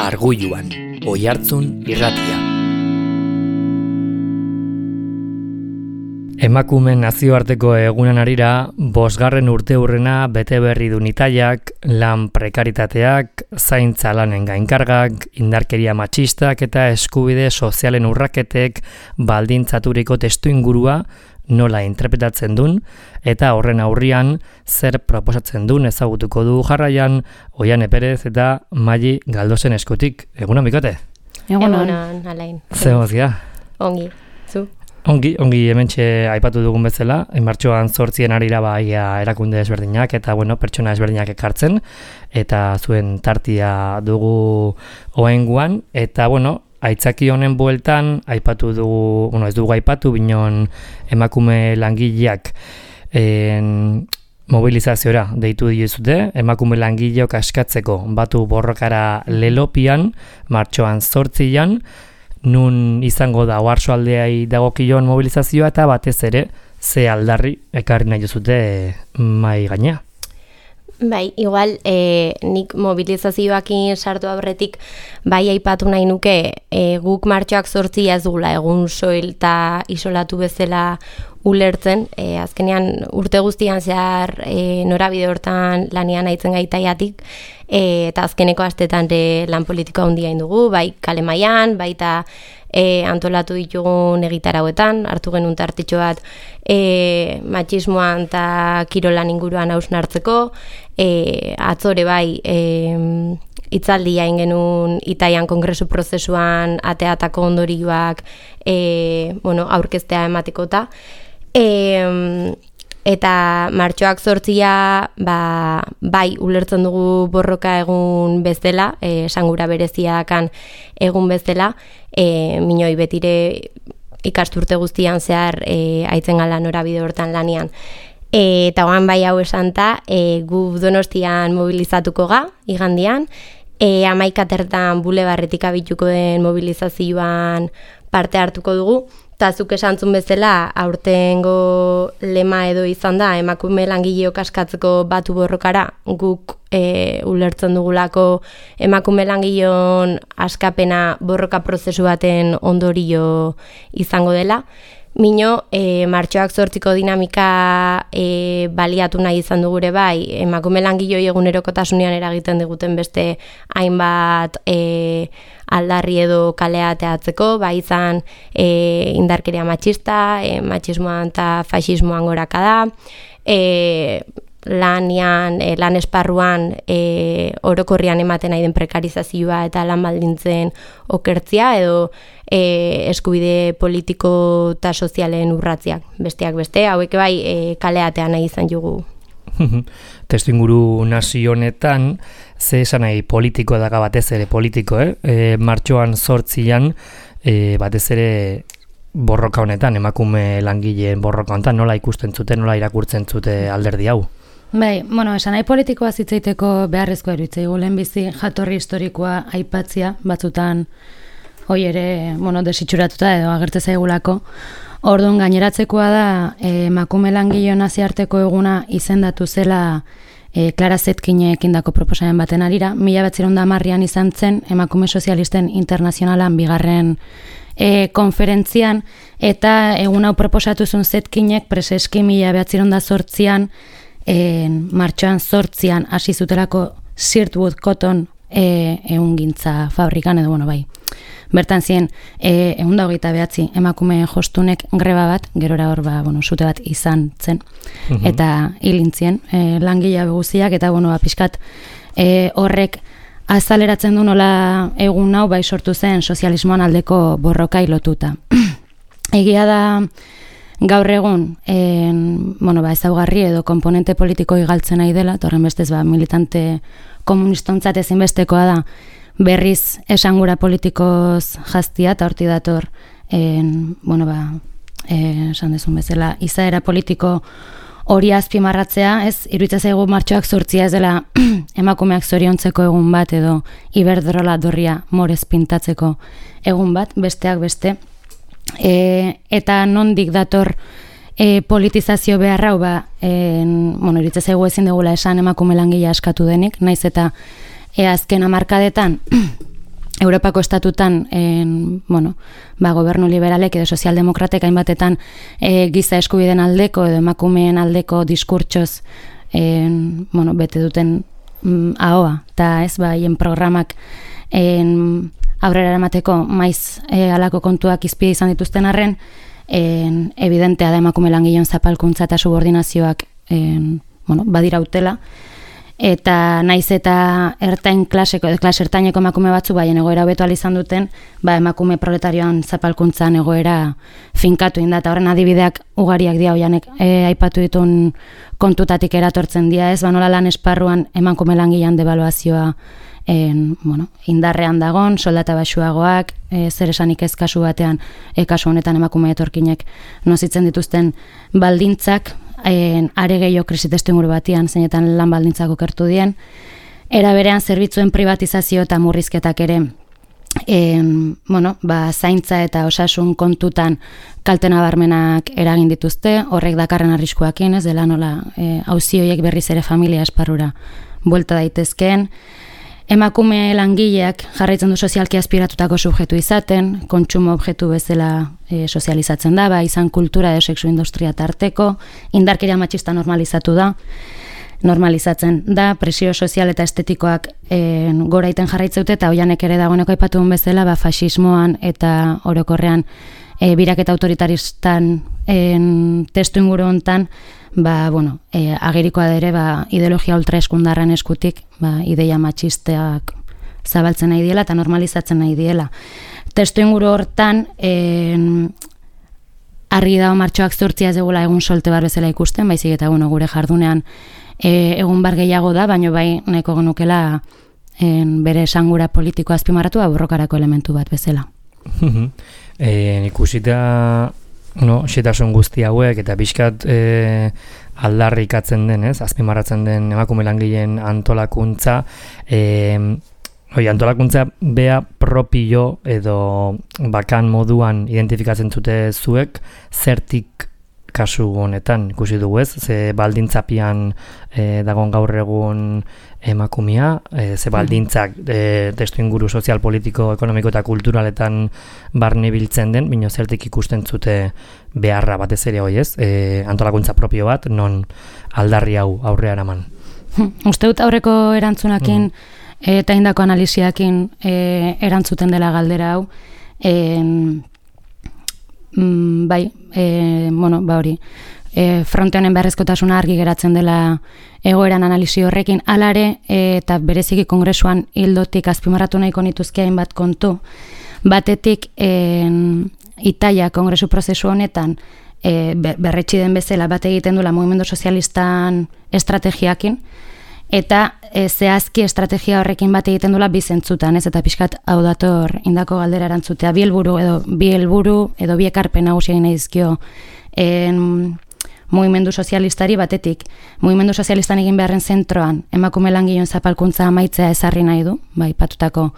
Arguluan, Oihartzun irratia. Emakumeen nazioarteko egunen harira, 5. urteurrena bete berri du Nitaiak, lan prekaritateak, zaintza lanen gainkargak, indarkeria matxistak eta eskubide sozialen urraketek baldintzaturiko testuingurua nola interpretatzen duen, eta horren aurrian zer proposatzen duen ezagutuko du jarraian Oiane Perez eta Maili Galdosen eskutik. Egunon, bikote? Egunon, Alain. Zer mozia? Ongi, zu? Ongi hementxe aipatu dugun bezala, martxoan 8 harira erakunde ezberdinak eta pertsona ezberdinak ekartzen, eta zuen tartia dugu oraingoan, eta aitzaki honen bueltan aipatu dugu, ez dugu aipatu, binon emakume langileak mobilizaziora deitu diezute, emakume langileok askatzeko batu borrokara Lelopian, martxoan 8an, nun izango da oarsoaldeai dagokion mobilizazioa eta batez ere ze aldarri ekarri nahi duzute mai gainea. Bai, igual nik mobilizazioakin sartu aurretik bai aipatu nahi nuke guk martxoak 8 ez dugula egun soil eta isolatu bezala ulertzen, azkenean urte guztian zehar norabide hortan lanian aitzen gaitaiatik, eta azkeneko astetan lan politikoa handia dugu, bai kale mailan, baita antolatu ditugun egitarauetan, hartu genuen tartitxo bat matxismoan eta kirolan inguruan hausnartzeko, atzore bai hitzaldia egin genuen Itaian kongresu prozesuan ateatako ondorioak aurkeztea ematekota, eta martxoak 8 bai ulertzen dugu borroka egun bezala, esangura bereziakan egun bezala, minoi betire ikasturte guztian zehar aitzen gala norabide hortan lanian. Eta oan bai hau esanta, gu Donostian mobilizatuko ga, igandian, 11 bulebarretik abituko den mobilizazioan parte hartuko dugu, eta zuk esantzun bezala aurtengo lema edo izan da emakume langileok askatzeko batu borrokara, guk ulertzen dugulako emakume langileon askapena borroka prozesu baten ondorio izango dela. Mino, martxoak 8ko dinamika baliatu nahi izan dugure bai, emakume langiloi egunerokotasunean eragiten diguten beste hainbat aldarri edo kalea teatzeko, bai izan indarkeria matxista, matxismoan eta faxismoan gorakada, lan esparruan orokorrian ematen nahi den prekarizazioa eta lan baldintzen okertzia edo eskubide politiko eta sozialen urratziak, besteak beste, hauek bai kaleatean nahi izan jugu. Testuinguru nazi honetan, ze esan nahi politiko daga batez ere politiko, martxoan 8an batez ere borroka honetan, emakume langileen borroka honetan, nola ikusten zute, nola irakurtzen zute alderdi hau? Bai, esan nahi politikoa zitzaiteko beharrezkoa eruditzaigu, lehenbizi jatorri historikoa aipatzia, batzutan hoi ere, desitxuratuta edo agertu zaigulako. Orduan gaineratzekoa da, emakume langileon nazioarteko eguna izendatu zela Clara Zetkinek indako proposamen baten arira, 1910an izan zen emakume sozialisten internazionalan 2. Konferentzian, eta egun hau proposatu zuen Zetkinek preseski 1908an martxoan 8an hasi zutelako Sirtwood Cotton ehungintza fabrikan edo bai. Bertan ziren 129 emakume jostunek greba bat, gerora hor sute bat izan zen, eta hilintzien langilea beguziak, eta pixkat horrek azaleratzen du nola egun hau bai sortu zen sozialismoan aldeko borrokai lotuta. Egia da gaur egun ezaugarri edo komponente politiko galtzen nahi dela, torren bestez militante komunistontzat ezinbestekoa da berriz esangura politikoz jaztia, eta horti dator esan dezun bezala izaera politiko hori azpimarratzea, ez iruditzen zaigu martxoak 8 ez dela emakumeak zoriontzeko egun bat edo Iberdrola dorria morez pintatzeko egun bat, besteak beste, eta nondik dator politizazio beharra hau iruditzen zaigu ezin dugula esan emakume langilea askatu denik, naiz eta azken hamarkadetan Europako estatutan gobernu liberalek edo sozialdemokratek hainbatetan giza eskubideen aldeko edo emakumeen aldeko diskurtsoz bete duten ahoa, eta ez haien programak aurrera eramateko maiz halako kontuak izpide izan dituzten arren, evidentea da emakume langileon zapalkuntza eta subordinazioak badira utela, eta naiz eta klase ertaineko emakume batzu baien egoera hobetu ahal izan duten, emakume proletarioan zapalkuntzan egoera finkatu inda, eta horren adibideak ugariak dira hoianek aipatu ditun kontutatik eratortzen dira, ez nola lan esparruan emakume langilean devaluazioa indarrean dagon, soldata baxuagoak, zer esanik ez kasu batean, kasu honetan emakume etorkinek nozitzen dituzten baldintzak, are gehiago krisi testuinguru batian, zeinetan lan baldintzak okertu dien. Era berean zerbitzuen privatizazio eta murrizketak ere zaintza eta osasun kontutan kalte nabarmenak eragin dituzte, horrek dakarren arriskuakin, ez dela nola auzi horiek berriz ere familia esparrura buelta daitezkeen. Emakume langileak jarraitzen du sozialki aspiratutako subjektu izaten, kontsumo objektu bezala sozializatzen da, izan kultura edo sexu industria tarteko, indarkeria matxista normalizatzen da, presio sozial eta estetikoak gora iten jarraitzeute, eta hoianek ere dagoeneko aipatu duen bezala, faxismoan eta orokorrean biraketa autoritaristan testu inguru hontan, agerikoa ere ideologia ultraeskundarren eskutik ideia matxisteak zabaltzen nahi diela eta normalizatzen nahi diela. Testu inguru hortan argi dago martxoak 8 ez dugula egun solte bar bezala ikusten, baizik eta gure jardunean egun bar gehiago da, baina nahiko genukela bere esangura politiko azpimarratu borrokarako elementu bat bezala. Ikusita xetasun guzti hauek eta pixkat aldarrikatzen den, azpimarratzen den emakume langileen antolakuntza, antolakuntza bea propio edo bakan moduan identifikatzen zute zuek, zertik kasu honetan ikusi dugu ez, ze baldintzapian dagon gaur egun emakumea, ze baldintzak testu inguru sozial, politiko, ekonomiko eta kulturaletan barne biltzen den, bino zertik ikusten zute beharra batez ere hoi ez, antolakuntza propio bat, non aldarri hau aurrea eraman. Uste dut aurreko erantzunakin eta indako analisiakin erantzuten dela galdera hau, hori, fronte honen beharrezkotasuna argi geratzen dela egoeran analisi horrekin, alare eta bereziki kongresuan hildotik azpimarratu nahiko nituzke hainbat kontu, batetik Italia kongresu prozesu honetan berretsi den bezala bat egiten duela mugimendu sozialistan estrategiakin, eta zehazki estrategia horrekin bat egiten duela bi zentzutan, ez, eta pixkat hau dator indako galdera erantzutea, bi helburu edo bi ekarpen nagusi egin dizkio mugimendu sozialistari, batetik mugimendu sozialistan egin beharren zentroan emakume langileon zapalkuntza amaitzea ezarri nahi du, patutako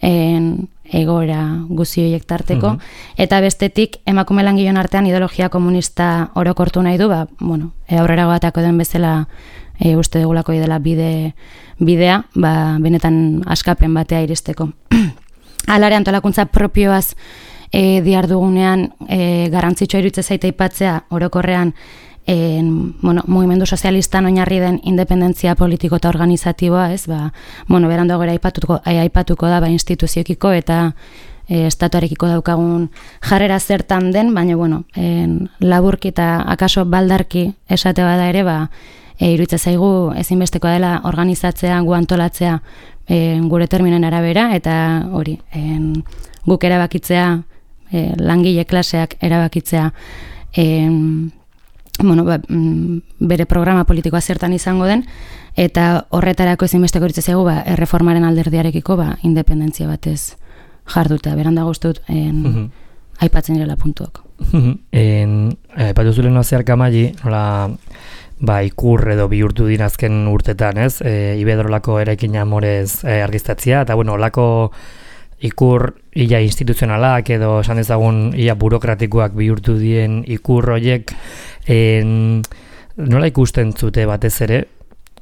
egoera guzti horiek tarteko, eta bestetik emakume langileon artean ideologia komunista orokortu nahi du, aurrera goatako den bezala uste dugulako dela bidea, benetan askapen batea iristeko. Alare antolakuntza propioaz diardugunean garrantzitsua iruditzen zaite aipatzea orokorrean mugimendu sozialistan oinarri den independentzia politiko eta organizatiboa, ez, berandu gora aipatuko da instituziokiko eta estatuarekiko daukagun jarrera zertan den, baina laburki eta akaso baldarki esate bada ere, iruditzen zaigu ezinbestekoa dela organizatzea, gu antolatzea gure terminen arabera, eta hori, guk erabakitzea, langile klaseak erabakitzea bere programa politikoa zertan izango den, eta horretarako ezinbesteko iruditzen zaigu erreformaren alderdiarekiko independentzia batez jarduta, beranda guztut aipatzen direla puntuak. Aipatu zulen zeharka Maili, nola ikur edo bihurtu dirazken urtetan, ez? Iberdrolako eraikin amorez argiztatzea, eta olako ikur ia instituzionalak edo esan dezagun ia burokratikoak bihurtu dien ikur horiek nola ikusten zute batez ere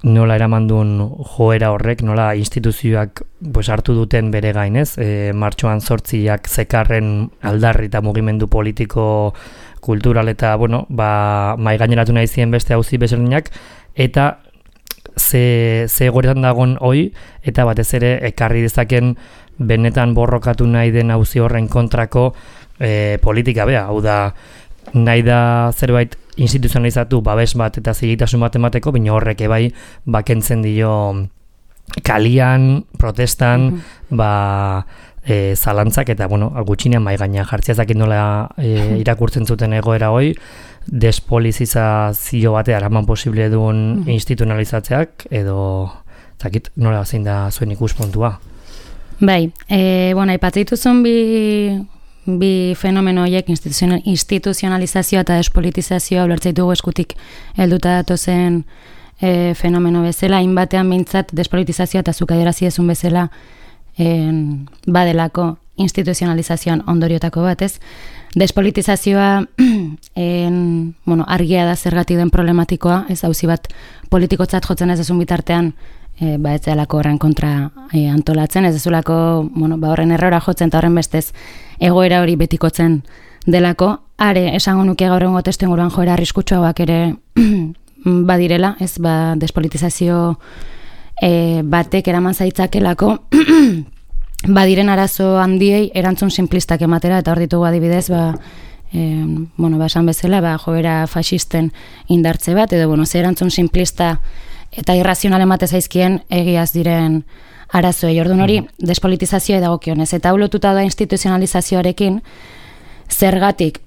nola eramandun joera horrek, nola instituzioak hartu duten bere gainez, martxoan 8ak zekarren aldarri eta mugimendu politiko, kultural eta, maigaineratu nahi ziren beste auzi bezerdinak, eta ze egoeretan dagoen hoi, eta batez ere ekarri dezaken benetan borrokatu nahi den auzi horren kontrako politika bea, hau da, nahi da zerbait instituzionalizatu babes bat eta zigitasun bat emateko, baina horrek ebai bakentzen dio kalian, protestan, zalantzak eta, gutxinean mai gainean jartzea ezakit nola irakurtzen zuten egoera hoi, despolizazio batea eraman posible duen instituzionalizatzeak, edo ezakit nola zein da zuen ikuspuntua. Bai, aipatzen dituzun bi fenomeno horiek instituzionalizazioa eta despolitizazioa ulertzen ditugu eskutik helduta datozen fenomeno bezala, hainbatean mintzat despolitizazioa eta zuk adierazi duzun bezala badelako instituzionalizazioan ondoriotako bat, ez? Despolitizazioa argia da zergatik den problematikoa, ez auzi bat politikotzat jotzen ez dezun bitartean ez zelako horren kontra antolatzen, ez dezulako horren errora jotzen eta horren bestez egoera hori betikotzen delako. Are, esango nuke gaur egungo testuinguruan joera arriskutsuagoak ere badirela, ez despolitizazio batek eraman zaitzakelako badiren arazo handiei erantzun simplistak ematera, eta hor ditugu adibidez, esan bezala, joera faxisten indartze bat, edo, ze erantzun simplista eta irrazional emate zaizkien egiaz diren arazoei. Orduan hori despolitizazioa dagokionez, eta ulotuta da instituzionalizazioarekin, zergatik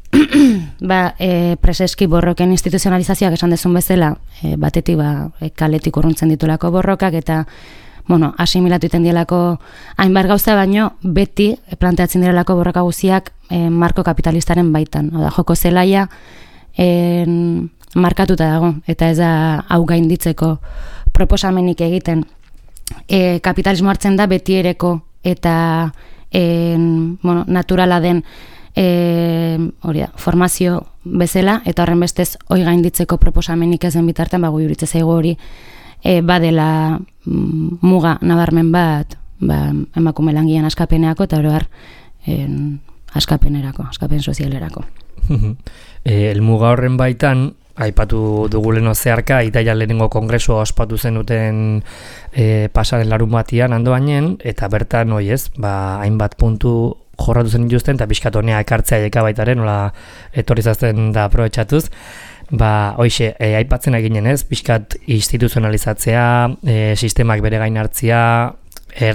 preseski borroken instituzionalizazioak esan dezun bezala, batetik kaletik urruntzen ditulako borrokak, eta asimilatu iten dielako hainbat gauza, baino beti planteatzen direlako borroka guziak marko kapitalistaren baitan. Joko zelaia markatuta dago, eta ez da hau gainditzeko proposamenik egiten. Kapitalismo hartzen da beti ereko eta naturala den formazio bezala, eta horren bestez hoi gainditzeko proposamenik ez den bitartean, gu juritze zaigu hori badela muga nabarmen bat emakume langileen askapenerako eta oro har askapen sozialerako. Helmuga horren baitan, aipatu duguleno zeharka, Italia lehenengo kongresua ospatu zenuten pasaren larun batian andoainen, eta bertan hainbat puntu jorratu zen dituzten, eta pixkat honea ekartzea eka baitaren, nola etorrizazten da aprobetxatuz. Hoxe, aipatzen eginen ez, pixkat instituzionalizatzea, sistemak bere gain hartzia,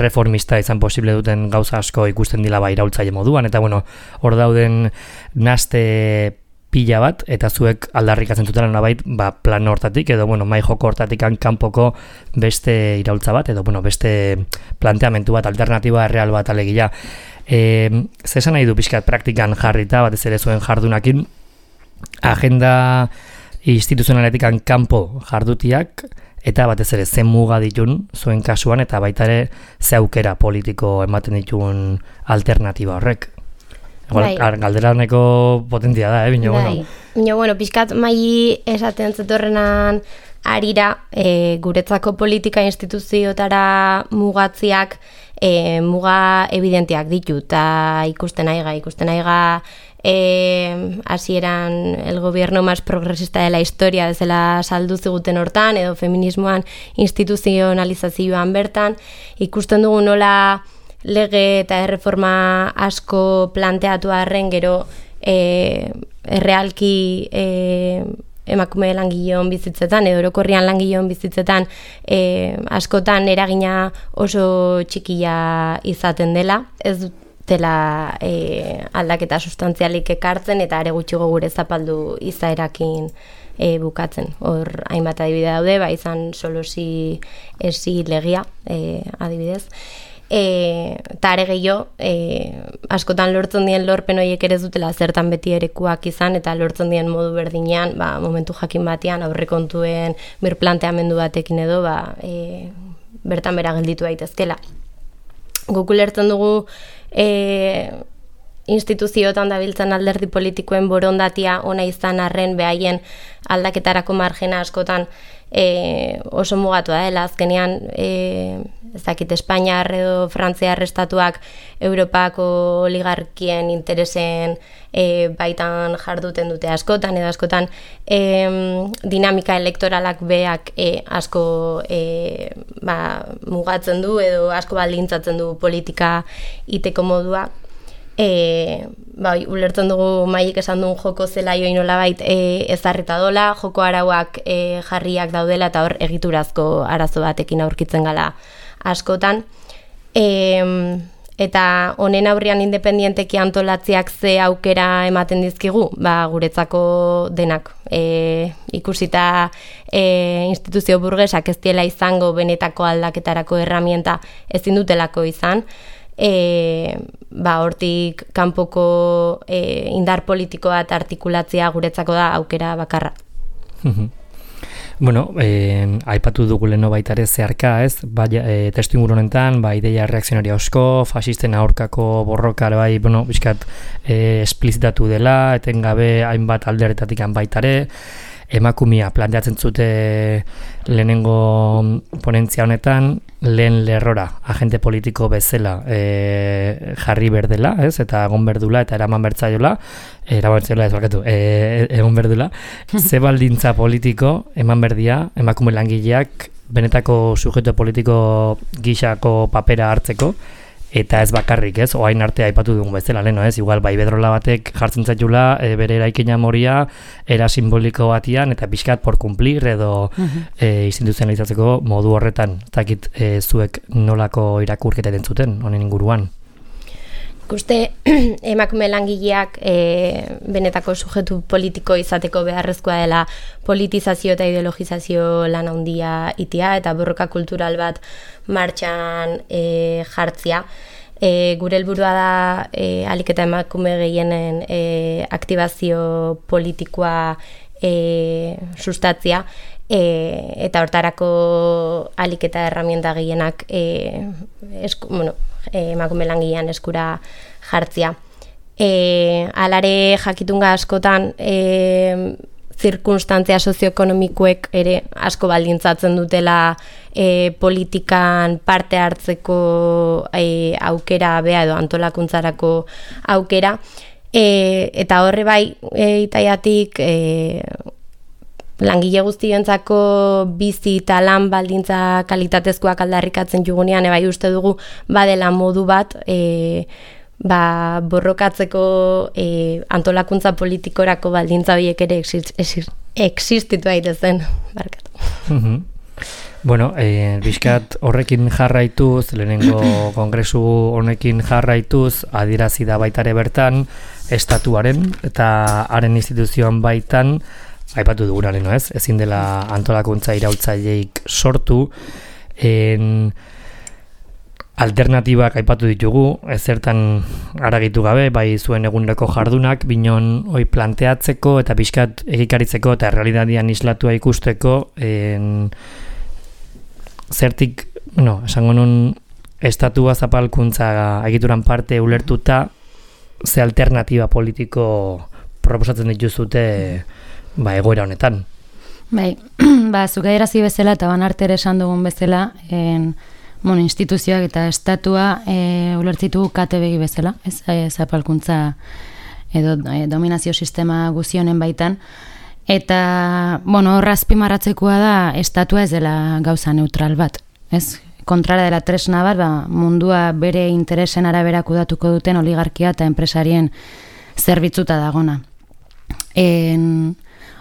reformista izan posible duten gauza asko ikusten dila iraultzaile moduan, eta hor dauden naste pila bat, eta zuek aldarrikatzen zutela nabait plan hortatik, edo mai joko hortatik kanpoko beste iraultza bat, edo beste planteamentu bat, alternatiba erreal bat alegia. Zesan nahi du pixkat praktikan jarrita, batez ere zuen jardunakin, agenda instituzionaletik kanpo jardutiak, eta batez ere zen muga ditun zuen kasuan, eta baita ere ze aukera politiko ematen ditun alternatiba horrek. Galdera honeko potentia da, Bino, pixkat mai esaten zetorrenan arira, guretzako politika instituziotara mugatziak muga evidentiak ditu, eta ikusten aiga hasieran el gobierno más progresista de la historia bezala saldu ziguten hortan, edo feminismoan instituzionalizazioan bertan, ikusten dugu nola lege eta erreforma asko planteatu arren gero errealki emakume langileon bizitzetan edo orokorrian langileon bizitzetan askotan eragina oso txikia izaten dela. Ez dela aldaketa sustantzialik ekartzen eta are gutxiago gure zapaldu izaerakin bukatzen. Hor hainbat adibide daude, izan solosi esi legia adibidez. Eta are gehiago, askotan lortzen dien lorpen horiek ere dutela zertan beti erekuak izan, eta lortzen dien modu berdinean, momentu jakin batean aurrekontuen birplanteamendu batekin edo, bertan bera gelditu daitezkela. Guk ulertzen dugu instituzioetan dabiltzan alderdi politikoen borondatia ona izan arren behaien aldaketarako margena askotan oso mugatua dela. Azkenean ez dakit Espainiar edo Frantziar estatuak Europako oligarkien interesen baitan jarduten dute askotan edo askotan dinamika elektoralak beak asko mugatzen du edo asko baldintzatzen du politika iteko modua. Ulertzen dugu Maik esan duen joko zelaioi nolabait ezarrita dola, joko arauak jarriak daudela eta hor egiturazko arazo batekin aurkitzen gala askotan. Eta honen aurrean independienteki antolatziak ze aukera ematen dizkigu, guretzako denak. Ikusita instituzio burgesak ez diela izango benetako aldaketarako erramienta ezin dutelako izan, hortik kanpoko indar politikoa eta artikulatzea guretzako da aukera bakarra. Bueno, aipatu dugu leno baita ere zeharka, ez? Testu inguru honetan, ideia reakzionaria asko, fasisten aurkako borroka bizkat esplizitatu dela, etengabe hainbat alderetatik baita ere, emakumea planteatzen zute lehenengo ponentzia honetan, lehen lerrora, agente politiko bezala jarri berdela, ez? Eta egon berdula, eta eraman bertzaiola, egon berdula, ze baldintza politiko eman berdia, emakume langileak benetako sujeto politiko gisako papera hartzeko, eta ez bakarrik, ez? Oain arte aipatu dugun bezala, leno, ez? Igual, Iberdrola batek jartzen zaitula, bere eraikina moria, era simboliko batian, eta pixkat por cumplir edo instituzionalizatzeko modu horretan. Zakit zuek nolako irakurketa entzuten honen inguruan? Ikuste emakume langileak benetako sujetu politiko izateko beharrezkoa dela politizazio eta ideologizazio lan handia itia eta borroka kultural bat martxan jartzia. Gure helburua da ahalik eta emakume gehienen aktibazio politikoa sustatzia, eta hortarako ahalik eta erramienta gehienak emakume langilean eskura jartzia. Alare jakitunga askotan zirkunstantzia sozioekonomikoek ere asko baldintzatzen dutela politikan parte hartzeko aukera bea edo antolakuntzarako aukera, eta horre itaiatik langile guztientzako bizi eta lan baldintza kalitatezkoak aldarrikatzen jugunean, uste dugu badela modu bat borrokatzeko antolakuntza politikorako baldintza horiek ere existitu daitezen, barkatu. Bueno, bizkat horrekin jarraituz, lehenengo kongresu honekin jarraituz, adierazi da baitare bertan, estatuaren eta haren instituzioan baitan, aipatu duguna leno, ez? Ezin dela antolakuntza iraultzaileik sortu, alternatibak aipatu ditugu, ezertan aragitu gabe, bai zuen eguneroko jardunak, binon hoi planteatzeko eta pixkat egikaritzeko eta realitatean islatua ikusteko, zertik, esango nun, estatua zapalkuntza egituran parte ulertuta, ze alternatiba politiko proposatzen dituzute egoera honetan. Bai, zuk adierazi bezala eta banartere esan dugun bezala, instituzioak eta estatua ulertzitu kate begi bezala, ez zapalkuntza edo dominazio sistema guzionen baitan. Eta, horra azpimarratzekoa da, estatua ez dela gauza neutral bat, ez? Kontrara dela tresna bat, mundua bere interesen arabera kudatuko duten oligarkia eta enpresarien zerbitzuta dagona.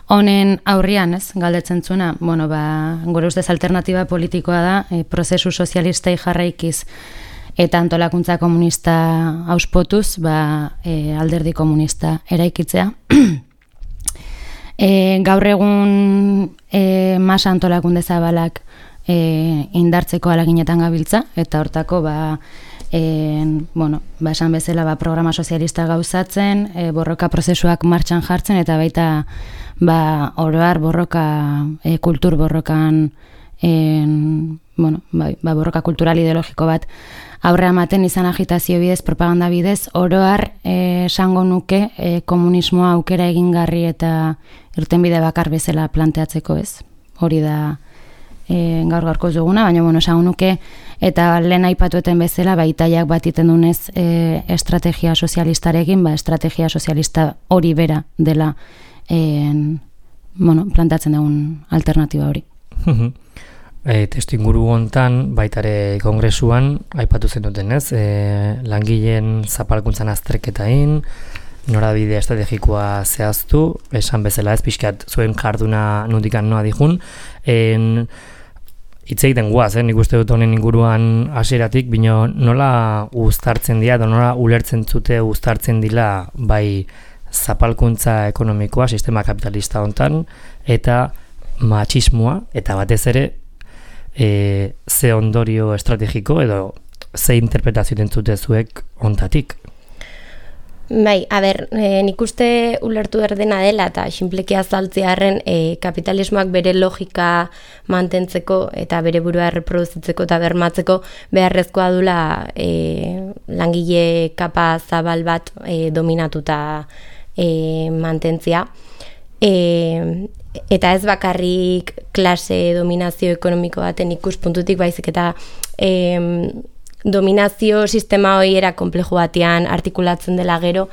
Honen aurrian, ez, galdetzen zuena, gure ustez alternatiba politikoa da, prozesu sozialistei jarraikiz eta antolakuntza komunista auspotuz, alderdi komunista eraikitzea. Gaur egun masa antolakunde zabalak indartzeko alaginetan gabiltza, eta hortako esan bezala programa sozialista gauzatzen, borroka prozesuak martxan jartzen, eta baita oroar borroka, kultur borrokan, borroka kultural ideologiko bat aurrea ematen izan agitazio bidez, propaganda bidez, oroar esango nuke komunismoa aukera egingarri eta irtenbide bakar bezala planteatzeko, ez? Hori da gaur-gaurko duguna, baina esango nuke, eta lehen aipatueten bezala, italiak bat iten dunez estrategia sozialistarekin, estrategia sozialista hori bera dela planteatzen dugun alternatiba hori. Testu inguru hontan, baitare kongresuan, aipatu zen duten ez, langileen zapalkuntzan azterketain, norabide estrategikoa zehaztu, esan bezala ez, pixkat zuen jarduna nundikan noa dijun, hitz egiten guaz, nik uste dut honen inguruan hasieratik, bino nola uztartzen dira, nola ulertzen zute uztartzen dila bai zapalkuntza ekonomikoa, sistema kapitalista hontan, eta matxismoa, eta batez ere ze ondorio estrategiko edo ze interpretazio dentzute zuek hontatik. Bai, nik uste ulertu erdena dela eta xinpleki azaltzearen kapitalismoak bere logika mantentzeko eta bere burua reproduzitzeko eta bermatzeko beharrezkoa dula langile kapa zabal bat dominatuta mantentzia. Eta ez bakarrik klase dominazio ekonomiko baten ikuspuntutik baizik eta dominazio sistema hori era komplejo batean artikulatzen dela gero,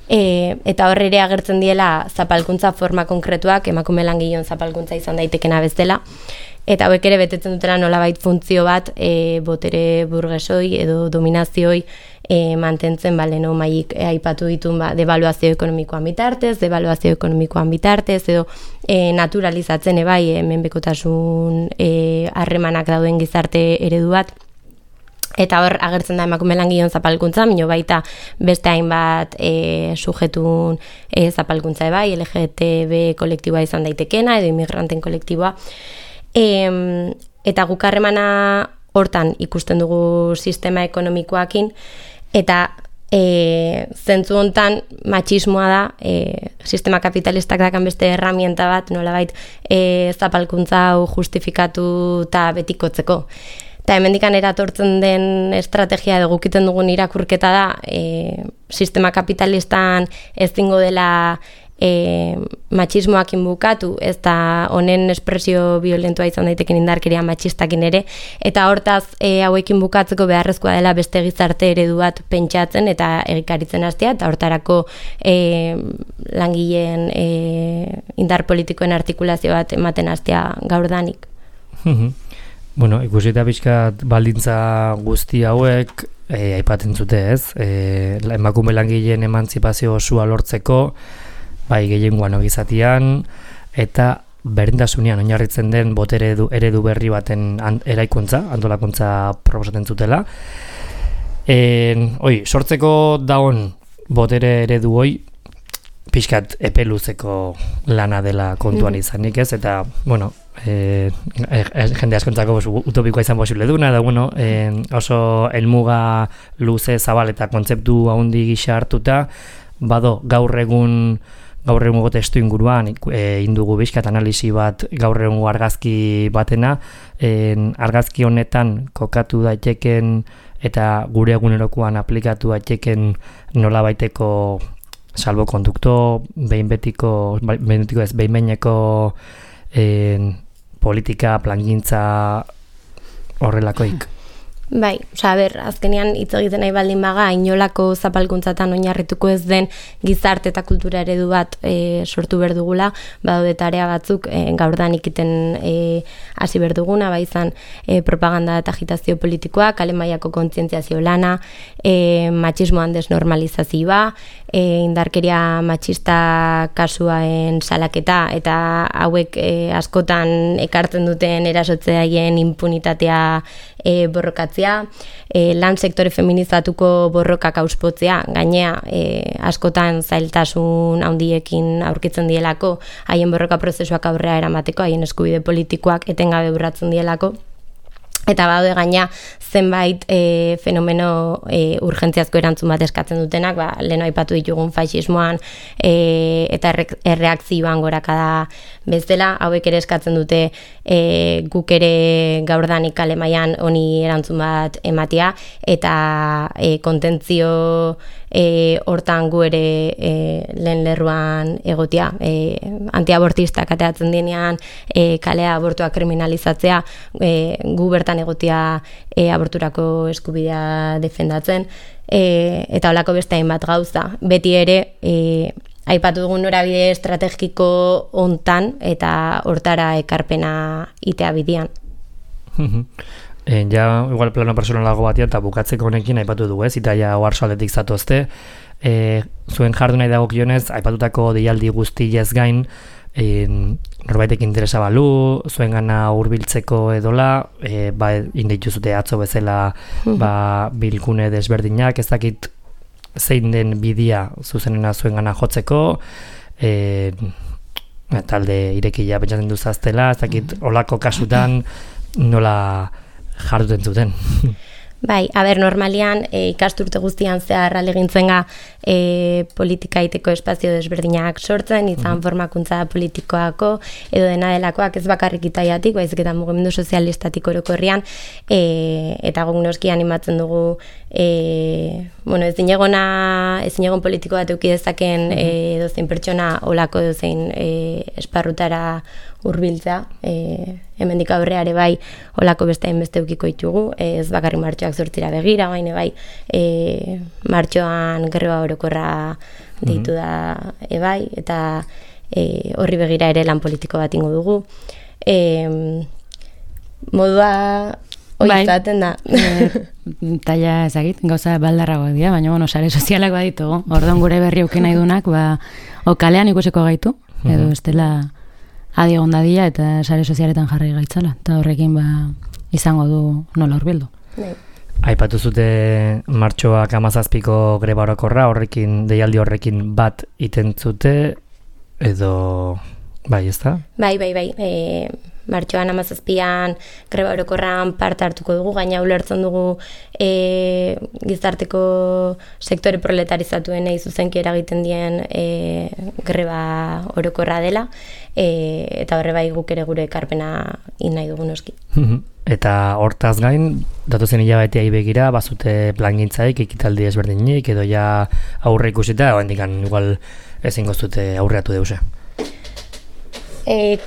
eta horre ere agertzen diela zapalkuntza forma konkretuak, emakume langileon zapalkuntza izan daitekena bezala, eta hauek ere betetzen dutela nolabait funtzio bat botere burgesoi edo dominazioi mantentzen leno maik aipatu ditun devaluazio ekonomikoan bitartez, devaluazio ekonomikoan bitartez, edo naturalizatzen bai menpekotasun harremanak dauden gizarte eredu bat. Eta hor agertzen da emakume langileon zapalkuntza, mino baita beste hainbat sujetun zapalkuntza bai, LGTB kolektiboa izan daitekena, edo inmigranten kolektiboa. Eta guk harremana hortan ikusten dugu sistema ekonomikoakin, eta zentzu hontan matxismoa da, sistema kapitalistak dakan beste herramienta bat, nolabait zapalkuntza hau justifikatu eta betikotzeko. Eta hemendikan eratortzen den estrategia edo gukiten dugun irakurketa da, sistema kapitalistan ezingo dela matxismoakin bukatu, ez da honen espresio violentua izan daiteken indarkeria matxistakin ere, eta hortaz hauekin bukatzeko beharrezkoa dela beste gizarte eredu bat pentsatzen eta egikaritzen hastea, eta hortarako langileen indar politikoen artikulazio bat ematen hastea gaurdanik. Bueno, ikusita pixkat baldintza guzti hauek aipatzen zute ez, emakume langileen emantzipazio osua lortzeko, bai gehiengoan ogizatian, eta berdintasunean oinarritzen den botere eredu berri baten eraikuntza, antolakuntza proposatzen zutela. Sortzeko dagoen botere eredu hoi, pixkat epeluzeko lana dela kontuan izanik ez, eta, bueno, jende askontzako utopikoa izan posible duna, da, bueno, oso helmuga luze zabal eta kontzeptu haundi gisa hartuta, bado gaur egungo testu inguruan indugu bizkat analisi bat gaur egungo argazki batena, argazki honetan kokatu daiteken eta gure egunerokoan aplikatu daiteken nolabaiteko salbokondukto, behin-behineko politika, plangintza horrelakoik. Bai, azkenean hitz egiten nahi baldin baga, inolako zapalkuntzatan oinarrituko ez den gizarte eta kultura eredu bat sortu berdugula, badaude tarea batzuk gaurdan ikiten hasi berduguna, bai izan propaganda eta agitazio politikoa, kale mailako kontzientziazio lana, matxismoan desnormalizazioa, indarkeria matxista kasuaen salaketa, eta hauek askotan ekartzen duten erasotzeaien impunitatea borrokatzea, lan sektore feminizatuko borrokak auspotzea, gainea askotan zailtasun handiekin aurkitzen dielako, haien borroka prozesuak aurrera eramateko, haien eskubide politikoak etengabe urratzen dielako. Eta baude gaina zenbait fenomeno urgentziazko erantzun bat eskatzen dutenak, lehen aipatu ditugun faxismoan eta erreakzioan gorakada bezala, hauek ere eskatzen dute guk ere gaurdanik kale mailan honi erantzun bat ematea, eta kontentzio hortan gu ere lehen lerruan egotea, antiabortistak ateratzen denean kalea abortua kriminalizatzea, gu bertan egotea aborturako eskubidea defendatzen, eta holako beste hainbat gauza. Beti ere, aipatu dugun norabide estrategiko hontan eta hortara ekarpena itea bidean. Ja, igual plano personalago batean, eta bukatzeko honekin aipatu dugu, Italia oarsoaldetik zatozte. Zuen jardu nahi dagokionez, aipatutako deialdi guztiez gain, norbaitek interesa balu, zuen gana hurbiltzeko edola, inditu zute atzo bezala bilgune desberdinak, ez dakit zein den bidea zuzenena zuen gana jotzeko, talde irekia pentsatzen duzaztela, ez dakit olako kasutan nola jarduten zuten. Bai, normalian ikasturte guztian zehar alegintzen politika iteko espazio desberdinak sortzen, izan formakuntza politikoako edo dena delakoak ez bakarrik Italiatik, baizik eta mugimendu sozialistatik orokorrean, eta guk noski animatzen dugu ezinegon politiko bat eduki dezaken edozein pertsona olako edozein esparrutara hurbiltzea, hemendik aurreare bai olako beste hainbeste edukiko ditugu, ez bakarrik martxoak 8 begira, baina bai martxoan greba orokorra deitu da bai, eta horri begira ere lan politiko bat ingo dugu. Modua oizaten da. Taila ezagit, gauza baldarragoak dira, baina sare sozialak baditugu. Orduan gure berri auki nahi dunak, okalean ikusiko gaitu, edo estela adi egon dadia eta sare sozialetan jarri gaitzala, eta horrekin izango du nola hurbildu. Aipatu zute martxoak 17ko greba orokorra, deialdi horrekin bat iten zute, edo bai, ez da? Bai. Martxoan 17an greba orokorran parte hartuko dugu, gaina ulertzen dugu gizarteko sektore proletarizatuen zuzenki eragiten dien greba orokorra dela, eta horre bai guk ere gure ekarpena nahi dugu noski. Eta hortaz gain, datozen hilabeteai begira, bazute plangintzaik, ekitaldi ezberdinik, edo ja aurre ikusita, oendikan igual ezingo zute aurreatu deuse.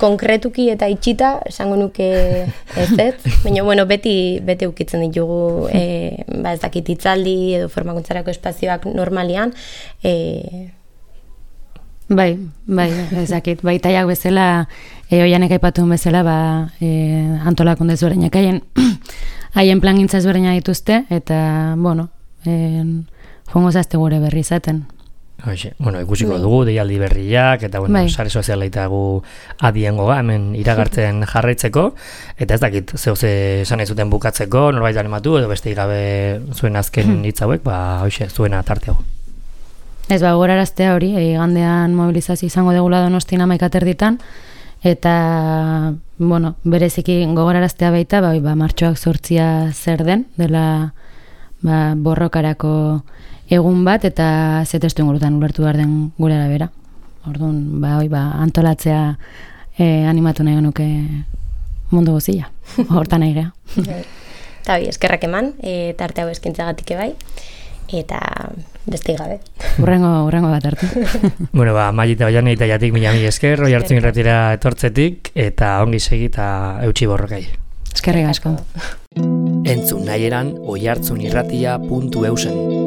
Konkretuki eta itxita, esango nuke ez, baina beti ukitzen ditugu ez dakit hitzaldi edo formakuntzarako espazioak normalian. Bai, ez dakit, baitaiak bezala, oianek aipatuen bezala, antolakunde ezberdinak haien plangintza ezberdina dituzte, eta, jongo zazte gure berri izaten. Ikusiko dugu, deialdi berriak, eta sare sozialaita gu adiengo hemen iragartzen jarraitzeko, eta ez dakit, zehose esan ez zuten bukatzeko, norbait animatu, edo beste gabe zuen azken hitz hauek, zuena tarteago. Ez gogoraraztea hori, igandean mobilizazio izango degula Donostian 11:00 eta, bereziki gogoraraztea baita, martxoak 8 zer den, dela borrokarako egun bat, eta ze testu ingurutan ulertu behar den gure arabera. Orduan, antolatzea animatu nahi genuke mundu guzia. Hortan nahi geha. Eta eskerrak eman, tarte hau eskintzagatik bai, eta beste gabe. Urrengo bat hartu. Mailita Oiane Italiatik mila esker, Oiartzun irratira etortzetik, eta ongi segi eta eutsi borrokai. Eskerrik asko. Entzun nahi eran oiartzunirratia.eusen.